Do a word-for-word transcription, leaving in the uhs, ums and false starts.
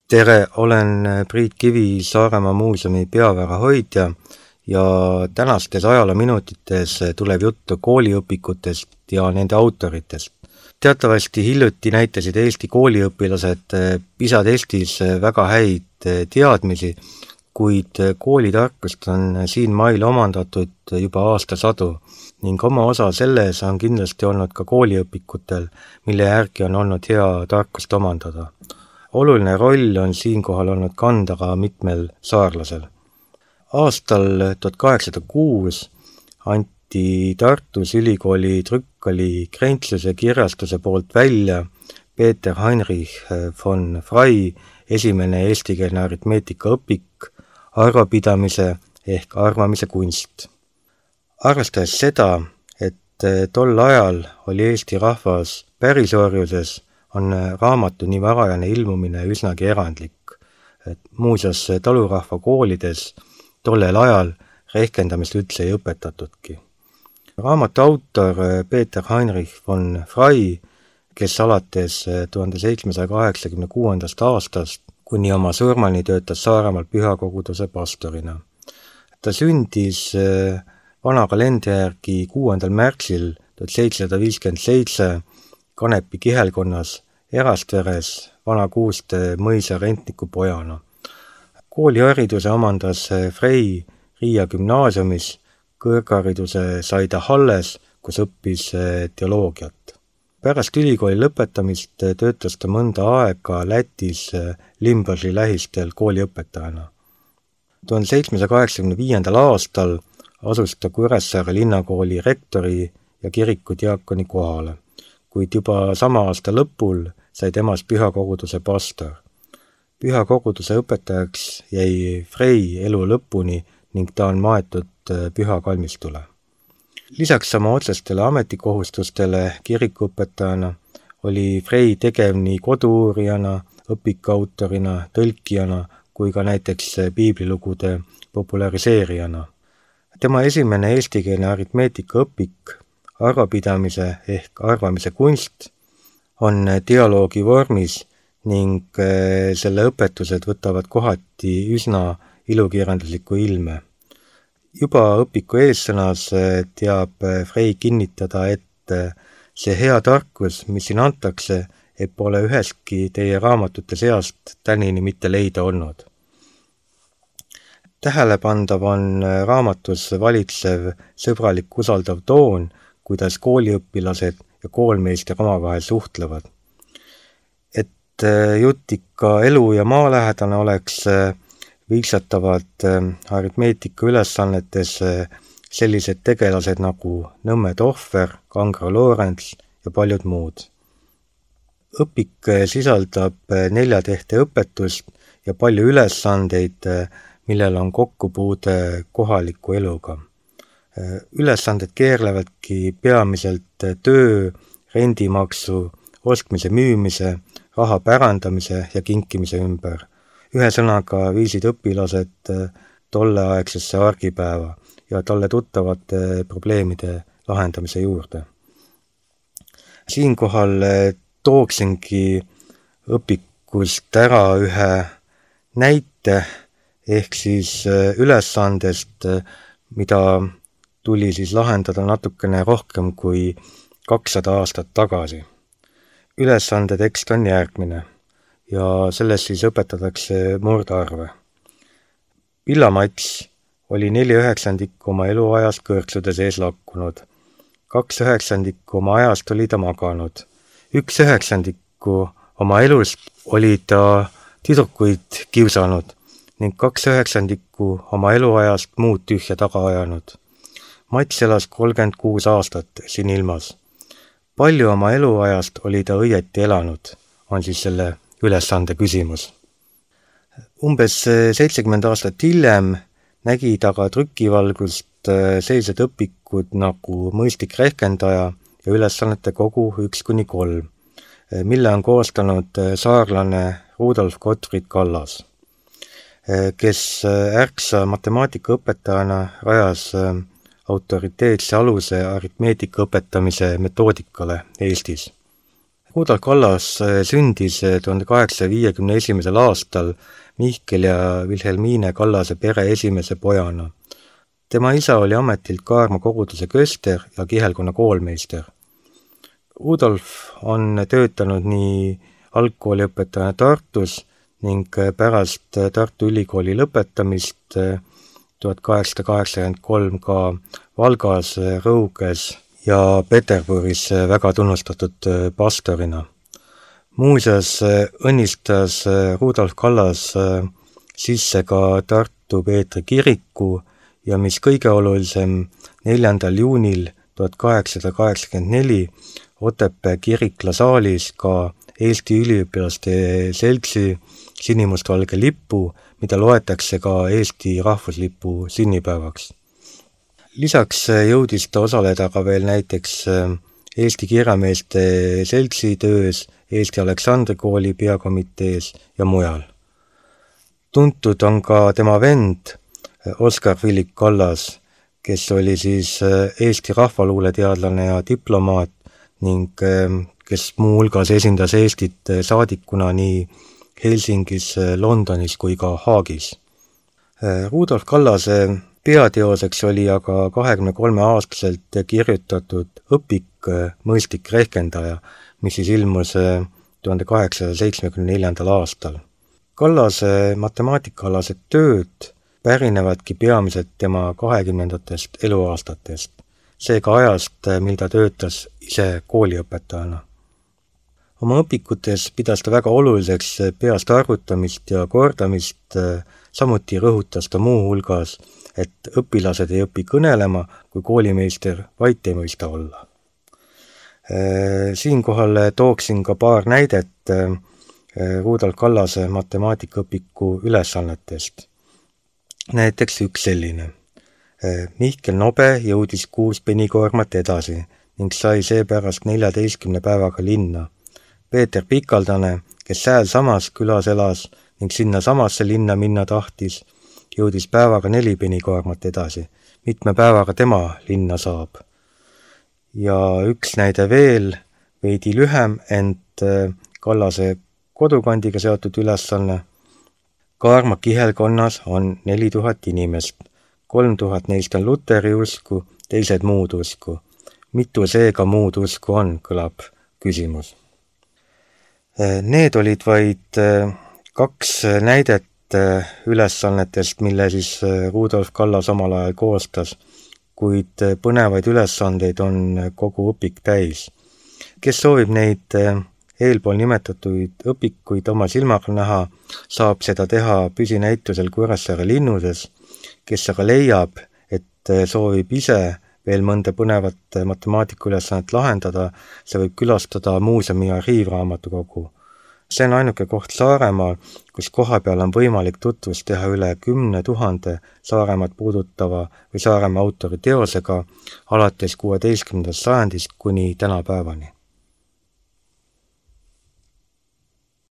Tere, olen Priit Kivi, Saaremaa muuseumi peavära hoidja ja tänastes ajaloominutites tuleb juttu kooliõpikutest ja nende autoritest. Teatavasti hiljuti näitasid Eesti kooliõpilased PISA testis väga häid teadmisi, kuid koolitarkust on siin mail omandatud juba aastasadu ning oma osa selles on kindlasti olnud ka kooliõpikutel, mille järgi on olnud hea tarkust omandada. Oluline roll on siinkohal olnud kanda ka mitmel saarlasel. Aastal tuhat kaheksasada kuus anti Tartus ülikooli trükkali Krentsluse kirjastuse poolt välja Peter Heinrich von Frey esimene eestikeelne aritmeetikaõpik arvapidamise ehk arvamise kunst. Arvestades seda, et tol ajal oli Eesti rahvas pärisorjuses, on raamatu nii varajane ilmumine üsnagi erandlik. Muuseas, talurahva koolides tollel ajal rehkendamist üldse ei õpetatudki. Raamatu autor Peter Heinrich von Frey, kes alates tuhande seitsmesaja kaheksakümne kuuendast aastast kuni oma surmani töötas Saaremaal pühakoguduse pastorina. Ta sündis vana kalendri järgi kuuendal märtsil tuhat seitsesada viiskümmend seitse Kanepi kihelkonnas Erastveres vana Kuuste mõisa rentniku pojana. Koolihariduse omandas Frey Riia gümnaasiumis, kõrghariduse sai ta Halles, kus õppis teoloogiat. Pärast ülikooli lõpetamist töötas ta mõnda aega Lätis Limbaži lähistel kooliõpetajana. tuhande seitsmesaja kaheksakümne viiendal aastal asus ta Kuressaare linnakooli rektori ja kirikudiakoni kohale, kuid juba sama aasta lõpul sai temast pühakoguduse pastor. Pühakoguduse õpetajaks jäi Frey elu lõpuni ning ta on maetud pühakalmistule. Lisaks sama otsestele ametikohustustele kirikuõpetajana oli Frey tegev nii kodu-uurijana, õpikautorina, tõlkijana kui ka näiteks piiblilugude populariseerijana. Tema esimene eestikeelne aritmeetikaõpik arvapidamise ehk arvamise kunst on dialoogi vormis ning selle õpetused võtavad kohati üsna ilukirjandusliku ilme. Juba õpiku eessõnas teab Frey kinnitada, et see hea tarkus, mis siin antakse, et pole üheski teie raamatute seast tänini mitte leida olnud. Tähelepandav on raamatus valitsev sõbralik usaldav toon, kuidas kooliõpilased ja koolmeister omavahel suhtlevad. Et jutt ikka elu- ja maalähedane oleks, viiksatavad aritmeetika ülesannetes sellised tegelased nagu Nõmme Tohver, Kangro Loorents ja paljud muud. Õpik sisaldab nelja tehte õpetust ja palju ülesandeid, millel on kokkupuude kohaliku eluga. Ülesanded keerlevadki peamiselt töö, rendimaksu, ostmise müümise, raha pärandamise ja kinkimise ümber. Ühe sõnaga viisid õpilased tolleaegsesse argipäeva ja talle tuttavate probleemide lahendamise juurde. Siinkohal tooksingi õpikust ära ühe näite ehk siis ülesandest, mida tuli siis lahendada natukene rohkem kui kakssada aastat tagasi. Ülesande tekst on järgmine ja selles siis õpetatakse murdarve. Pillamats oli neli üheksandikku oma eluajast kõrtsude sees lakkunud. Kaks üheksandikku oma ajast oli ta maganud. Üks üheksandikku oma elust oli ta tüdrukuid kiusanud ning kaks üheksandikku oma eluajast muud tühja taga ajanud. Mats elas kolmkümmend kuus aastat siin ilmas. Palju oma eluajast oli ta õieti elanud, on siis selle ülesande küsimus. Umbes seitsekümmend aastat hiljem nägi ta ka trükivalgust sellised õpikud nagu mõistlik rehkendaja ja ülesannete kogu üks kuni kolm, mille on koostanud saarlane Rudolf Gottfried Kallas, kes ärksa matemaatikaõpetajana rajas autoriteetse aluse aritmeetika õpetamise metoodikale Eestis. Rudolf Kallas sündis tuhande kaheksasaja viiekümne esimesel aastal Mihkel ja Vilhelmiine Kallase pere esimese pojana. Tema isa oli ametilt Kaarma koguduse köster ja kihelkonna koolmeister. Rudolf on töötanud nii algkooliõpetajana Tartus ning pärast Tartu Ülikooli lõpetamist tuhat kaheksasada kaheksakümmend kolm ka Valgas, Rõuges ja Peterburis väga tunnustatud pastorina. Muuseas õnnistas Rudolf Kallas sisse ka Tartu Peetri kiriku ja mis kõige olulisem, neljandal juunil tuhat kaheksasada kaheksakümmend neli Otepää kirikla saalis ka Eesti üliõpilaste seltsi sinimustvalge lippu, mida loetakse ka Eesti rahvuslipu sünnipäevaks. Lisaks jõudis ta osaleda ka veel näiteks Eesti kirjameeste seltsi töös, Eesti Aleksandri kooli peakomitees ja mujal. Tuntud on ka tema vend Oskar Philipp Kallas, kes oli siis Eesti rahvaluuleteadlane ja diplomaat ning kes muu hulgas esindas Eestit saadikuna nii Helsingis, Londonis kui ka Haagis. Rudolf Kallase peateoseks oli aga kahekümne kolme aastaselt kirjutatud õpik Mõistlik rehkendaja, mis siis ilmus tuhande kaheksasaja seitsmekümne neljandal aastal. Kallase matemaatikaalased tööd pärinevadki peamiselt tema kahekümnendatest eluaastatest, seega ajast, mil ta töötas ise kooliõpetajana. Oma õpikutes pidas ta väga oluliseks peast arvutamist ja kordamist, samuti rõhutas ta muu hulgas, et õpilased ei õpi kõnelema, kui koolimeister vait ei mõista olla. Siinkohal tooksin ka paar näidet Rudolf Kallase matemaatikaõpiku ülesannetest. Näiteks üks selline. Mihkel Nobe jõudis kuus penikoormat edasi ning sai seepärast neljateistkümne päevaga linna. Peeter Pikaldane, kes sääl samas külas elas ning sinna samasse linna minna tahtis, jõudis päevaga neli penikoormat edasi. Mitme päevaga tema linna saab. Ja üks näide veel, veidi lühem, ent Kallase kodukandiga seotud ülesanne. Kaarma kihelkonnas on neli tuhat inimest. Kolm tuhat neist on Luteri usku, teised muud usku. Mitu seega muud usku on, kõlab küsimus. Need olid vaid kaks näidet ülesannetest, mille siis Rudolf Kallas omal ajal koostas, kuid põnevaid ülesandeid on kogu õpik täis. Kes soovib neid eelpool nimetatud õpikuid oma silmaga näha, saab seda teha püsinäitusel Kuressaare linnuses. Kes aga leiab, et soovib ise veel mõnda põnevat matemaatikaülesannet lahendada, see võib külastada muuseumi arhiivraamatukogu. See on ainuke koht Saaremaal, kus kohapeal on võimalik tutvust teha üle kümne tuhande Saaremaad puudutava või Saaremaa autori teosega alates kuueteistkümnendast sajandist kuni tänapäevani.